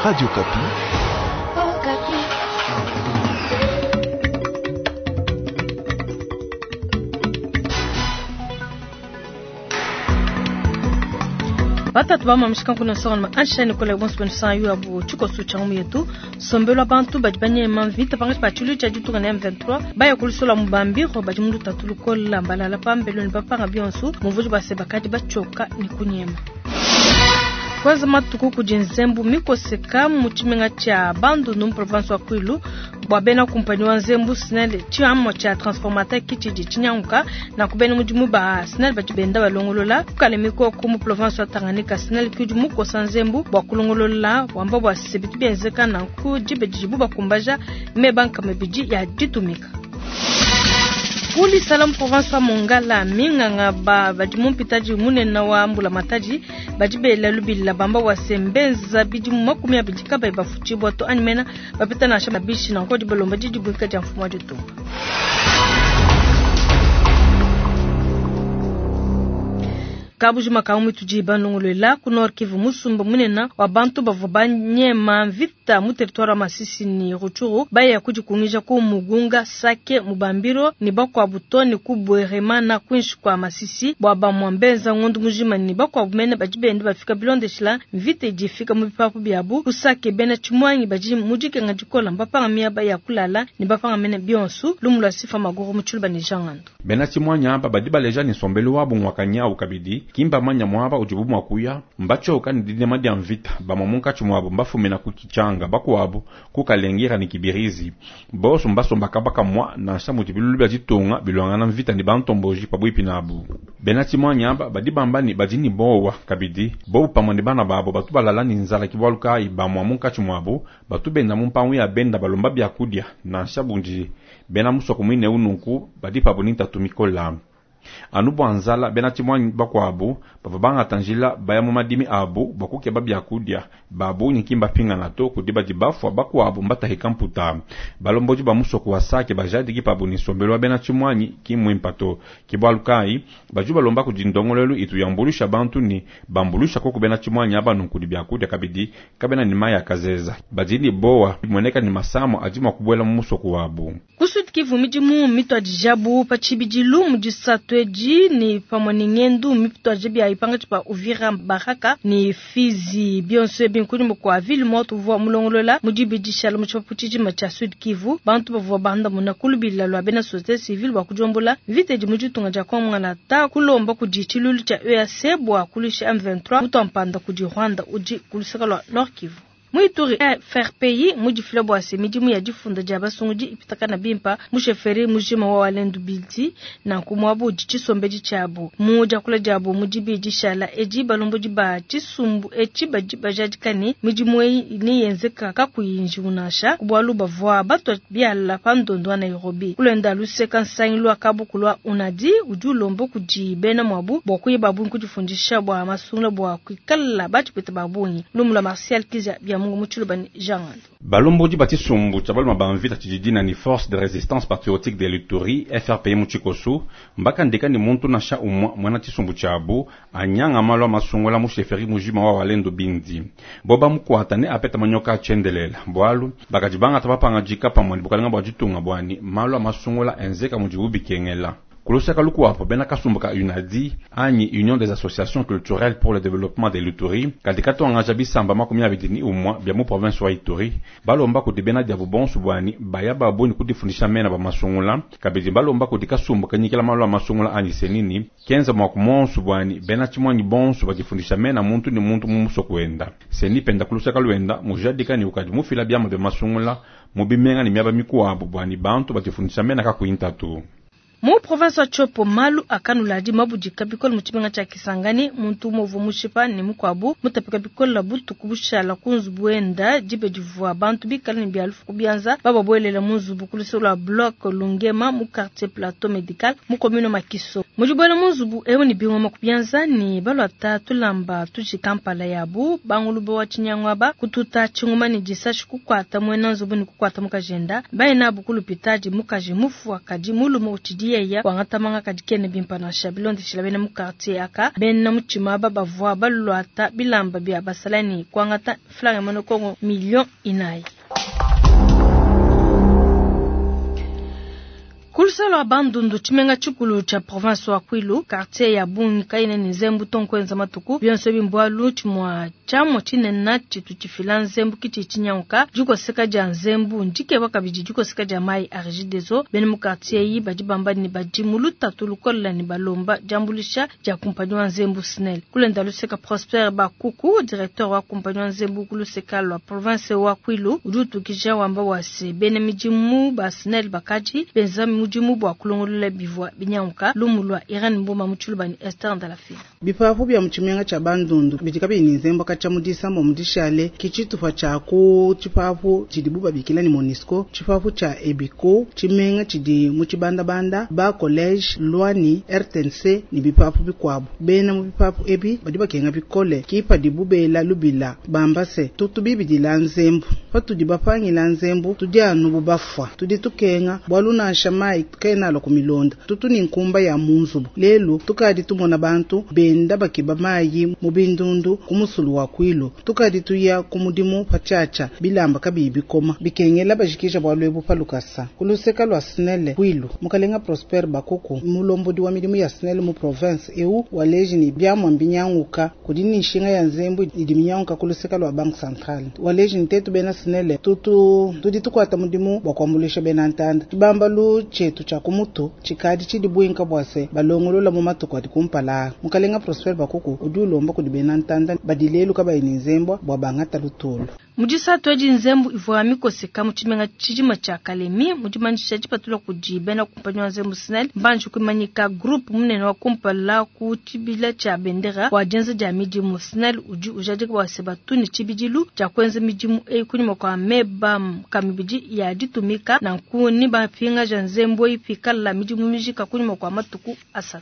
Radio Okapi. Batatu bamamishika nkuna nsonga ansha ne kola bonso banu yu abu tshikoso tshia ngumu yetu sombelwa bantu badi banyema mvita pangatshi pa tshilu tshia ditunga na M23 baya kulusola mubambiro badi mu lutatu lukola mbalala pambelo ne bapanga bionso muvudi base bakadi batshioka ne kunyema. Kwanza matuku kudi nzembu mikoseka mu tshimenga tshia Bandundu mu province wa Kwilu bua bena kumpanyi wa nzembu SNEL tshiamua tshia transformateur kitshidi tshinyanguka na kubena mudimu ba SNEL badi benda balongolola kukale mikoko mu province wa Tanganyika. SNEL kudi mukosa nzembu bua kulongolola wamba bua sebitu bienzeka nanku dibe didibu bakumbaja meba nkama ibidi ya ditumika. Kulisala mu province wa Mongala minganga ba badi mu mpitadi munene wa mbula matadi badi bela lubila bamba wa sembenza bidi 20 kabayi bafutshibwa to animena bapeta nansha mabishi nanko di balomba didi buika dia mfumu wa ditunga. Kabujima ka mutudi banongolola ku Nord Kivu musumba munene wa bantu bavua banyema mvita mu territoire wa Masisi ni Rutshuru baya kudikungija ku Mugunga Sake Mubambiro ni bakwabu to ni ku Bweremana kwinshi kwa Masisi bwa bamwambenza ngondu mujima ni bakwabu mene badi bende bafika bilondeshila mvita idifika mu bipapu byabu ku Sake bena Chimwangi badi mudikenga dikola mbapanga miaba ya kulala ni bapanga mene bionsu lumulwa sifa maguru mu Tshiluba ni Jangando. Bena Chimwangi aba badi baleja ni sombelu wabu mwakanyau kabidi kimba manya mwaba ujibu mwakuya mbachoka ni didema dia mvita bamwe munkatshi mwabo mbafumina ku kichanga bakuabo kukalengira ni kibirizi boso mbasomba kabaka mwa nansha muti bilulu bya ditunga bilwangana mvita ni bantomboji pabwipi nabu. Bena Chimwangi aba badi bamba ni badi ni bowa kabidi bobu pamwe ni bana babo batu balala ni nzala kibwalu kai bamwe munkatshi mwabo batu benda mu mpangu ya benda balomba byakudia nansha bunji bena musoko mwine ununku badi pabo ni ntatu mikola. Anu bwa nzala bena Chimwangi bakuabu bava bangata njila baya mu madimi abu bakukeba byakudia babu nyikimba pingana to kudi badi bafua bakuabu mbatahika mputa. Balomboji ba musoko wa Sake bajadiki pabu ni sombelo wa bena Chimwangi kimwimpa to kibwalu kai baju balomba kudi ndongolelu itu yambulusha bantu ni bambulusha koko bena Chimwangi aba nunkudi byakudia kabidi kabena ni maya kazeza badini bowa bimweneka ni masamo adima kubwela mu musoko wabu. Ku Sud Kivu midimu mitwadijabu pa tshibidilu mu disatu edi ni pamwe ni ngendu mipitwaje bya ipanga tshipa Uvira Baraka ni Fizi bionso ebi nkudi kwa ville morte uvua mulongolola mu dibidishala mu tshipapu tshijima tshia Sud Kivu bantu bavua banda muna kulubila lwa bena société civile bua kudiombola mvita idi mu ditunga dia Kongo ta kulomba kudi tshilulu tshia EAC bua kulisha M23 mutu kudi Rwanda udi kulusaka lwa Nord Kivu. Muituri FRPI mudifila bua se midimu ya difunda dia basungudi ipitakana bimpa musheferi mujima wa walendu bildi na nkumwabu udi tshisombedi tshiabu mu diakula diabu mu dibidi shala edi balombodi ba tshisumbu etshi badi bajadikane midimu eyi ni yenzeka kakuyi njiwu nansha bualu bavua batwa biala pa ndondo wa Nairobi kulenda luseka nsangilu wa kabuku lwa unadi udi ulomba kudi bena mwabu bua kuyeba bungi kudifundisha bua masungula bua kuikala batshipeta ba bungi lumu lwa Martial Kiza bia Mungu mu Tshiluba ni Jean Ngando. Balombodi ba tshisumbu tshia baluma ba mvita tshididina ni Force de Resistance Patriotique de l'Ituri FRPI mu tshikosu mbakandika ni muntu nansha umwa mwana tshisumbu tshiabu anyanga malu a masungula mu sheferi mujima wa Walendu Bindi boba mukwata ne apeta manyoka atshendelela bualu bakadi bangata bapanga dika pamwe ni bukalenga bua ditunga buani malu a masungula enzeka mudibu bikengela. Kulusaka lukuapo bena kasumbu ka UNADI anyi Union des Associations Culturelles pour le Développement de l'Ituri kadi katuangaja bisamba 21 bia mu province wa Ituri balomba kudi bena diabu bonso buani baya babuni kudifundisha mena ba masungula kabidi balomba kudi kasumbu kanyikila malu a masungula anyi senini kenza mwa kumonso buani bena Chimwangi bonso badifundisha mena muntu ni muntu mu musoko wenda seni penda kulusaka lwenda mujadika ni ukadi mufila biama bia masungula mu bimenga ni miaba mikuabu buani bantu badifundisha mena kakuintatu. Mu province wa Tshopo malu akanuladi mabudika bikole mu tshimenga tshia Kisangani muntu muvu mushipa ne mukuabu mutapika bikole butuku bushala ku nzubu wenda dibe divua bantu bikale ne bia lufu kubianza bababuelela mu nzubu ku luseke lua bloc Lungema mu quartier Plateau Medical mu commune Makiso. Mudibuela mu nzubu ewu ne bingoma kubianza ne baluata tulamba tuji kampala yabu banguluba wa tshinyangwaba kututa tshingoma ne disashi kukuata muena nzubu ne kukuata mukajenda baye nabu kulupitadi mukaji mufu akadi mulume utshidi. udi yeya wangata manga kadi kena bimpa nansha. Bilondeshila bena mu quartier aka, bena mutshima aba bavua baluata bilamba bia basalayi ne kuangata franga ya muena Kongo 4 millions. Ku luseke lua Bandundu, tshimenga tshikulu tshia province wa Kwilu, quartier ya bungi kayena ne nzembu to nkuenza matuku. Bionso ebi mbualu tshimua tshiamua tshinene tshitu tshifila nzembu kitshi tshinyanguka. Dikoseka dia nzembu ndikeba kabidi dikoseka dia mayi a Regideso. Bena mu quartier eyi badi bamba ne badi mu lutatu lukole ne balomba diambuluisha dia kumpanyi wa nzembu SNEL. Kulenda luseka Prosper Bakuku, directeur wa kumpanyi wa nzembu ku luseka lua province wa Kwilu, udi utukija wamba bua se bena midimu ba SNEL bakadi benza mudimu bua kulongolola bivua binyanguka. Lumu lua Irene Mboma mu Tshiluba ne Esther Ndalafina. Bipapu bia mu tshimenga tshia Bandundu bidi kabiyi ne nzembu katshia mu disambo mu dishale ke tshitupa tshia ku tshipapu tshidibu babikila ne Monusco, tshipapu tshia Ebiko, tshimenga tshidi mu tshibandabanda, ba college Luani, RTNC ne bipapu bikuabu. Bena mu bipapu ebi badi bakenga bikole ke padibu bela lubila bamba se tutu bibidila nzembu. Patudi bapangila nzembu tudi anu bu bafua, tudi tukenga bualu nansha mayi kena alua ku milonda, tutu ne nkumba ya mu nzubu. Lelu tukadi tumona bantu benda bakeba mayi mu bindundu ku musulu wa Kwilu, tukadi tuya ku mudimu patshiatshia bilamba kabiyi bikoma, bikengela bajikija bualu ebu pa lukasa. Ku luseka lua SNEL Kwilu, mukalenga Prosper Bakuku, mulombodi wa midimu ya SNEL mu province eu, waleji ne biamua mbinyanguka kudi ne nshinga ya nzembu idi minyanguka ku luseka lua Banque Centrale. Waleji ne tetu bena SNEL tutu tudi tukuata mudimu bua kuambuluisha bena ntanda. Tshibambalu tshietu tshia ku mutu tshikadi tshidi buinka bua se balongolola mu matuku adi kumpala. Mukalenga Prosper Bakuku udi ulomba kudi bena ntanda badi lelu kabayi ne nzembua bua bangata lutulu. Mu disatu edi nzembu ivua mikoseka mu tshimenga tshijima tshia Kalemi. Mu dimanyisha dipatula kudi bena kumpanyi wa nzembu SNEL, mbanji kuimanyika groupe munene wa kumpala ku tshibila tshia bendera wa dienza dia midimu. SNEL udi ujadika bua se batu ne tshibidilu tshia kuenza midimu eyi kunyima kua meba kamibidi ya ditumika, nanku ni bapingaja nzembu eyi pikala midimu mijika kunyima kua matuku 3.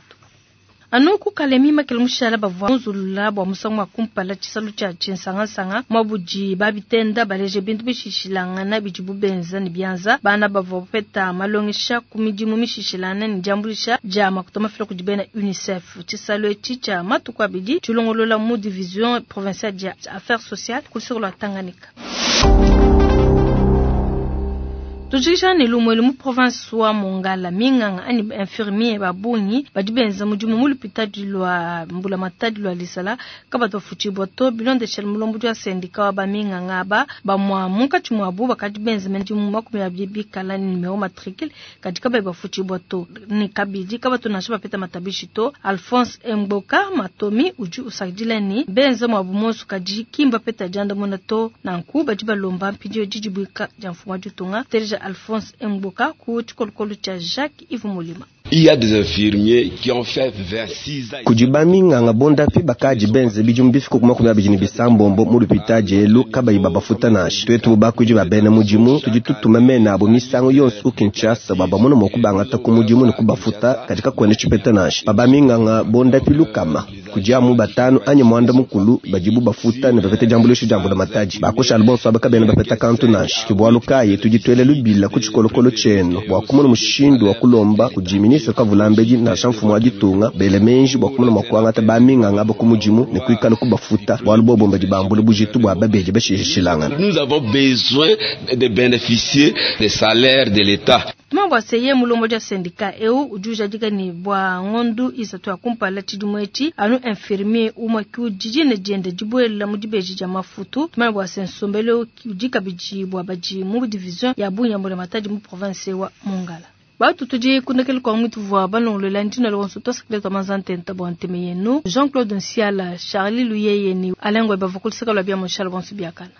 Anu ku Kalemi, makele mushala bavua nzulula bua musangu wa kumpala tshisalu tshia tshinsangansanga muabudi babitenda baleje bintu bishishilangana bidibu benza ne bianza. Bana bavua bapeta malongesha ku midimu mishishilangana ne diambuluisha dia makuta mafila kudi bena UNICEF. Tshisalu etshi tshia matuku 2 tshilongolola mu division provinciale dia affaires sociales ku luseke lua Tanganyika. Tujikisha ne lumuelu mu province wa Mongala, minganga anyi infirmier ba bungi badi benza mudimu mu lupitadi lua mbulamatadi lua Lisala kabatu bafutshibua to. Bilondeshela mulombodi wa syndicat wa baminganga aba, bamua munkatshi muabu bakadi benza midimu 20 bikala ne numero matricule kadi kabayi bafutshibua to, ne kabidi kabatu nansha bapeta matabishi to. Alphonse Mboka Matomi udi usakidila ne benza muabu monso kadi ki mbapeta diandamuna to, nanku badi balomba mpindieu didibuika dia mfumu wa ditunga. Teleja Alphonse Mboka ku tshikolokolo tshia Jacques Yves Molima. Il y a des infirmiers qui ont fait 26 ans. Kudi baminganga bondapi bakadi benze bidimu bifika ku 26 mu lupitadi elu kabayi babafuta nansha. Twetu bakuidi ba bena mudimu tudi tutuma mena abo misangu yonso ku Kinshasa bua bamone mua kubangata ku mudimu ne kubafuta, kadi kakuena tshipeta nansha. Pa baminganga bondapi 100 kudi amu 5 anyi 90 badibu bafuta ne bapeta diambuluisha dia mbulamatadi. Bakushala bonso aba kabena bapeta kantu nansha. Ke bualu kayi tudi tuela lubila ku tshikolokolo tshienu bua kumona mushindu wa kulomba kudi ministre Kavulambedi nansha mfumu wa ditunga bele menji bua kumona mua kuangata baminganga aba ku mudimu ne kuikala kubafuta, bualu bobo badi bambula bujitu bua babedi bashishilangana. Nous avons besoin de bénéficier des salaires de l'État. Tuma bua seye mulombodi wa syndicat eu udi ujadika ne bua ngondu 3 ya kumpala tshidimu etshi anu infirmier umue ki udi dina diende dibuela mu dibeji dia mafutu. Tuma bua se nsombelu udi kabidi bua badi mu division ya bungi ya mbulamatadi mu province wa Mongala. Batu tudi kundekele kwa mwitu vua balongolola ndina lonso twasakile twa manzantenta bua nteme yenu Jean-Claude Nsiala, Charlie Luyeye ni Alain Ngoy bavua kuluseka lua bia Montchal bonso biakana.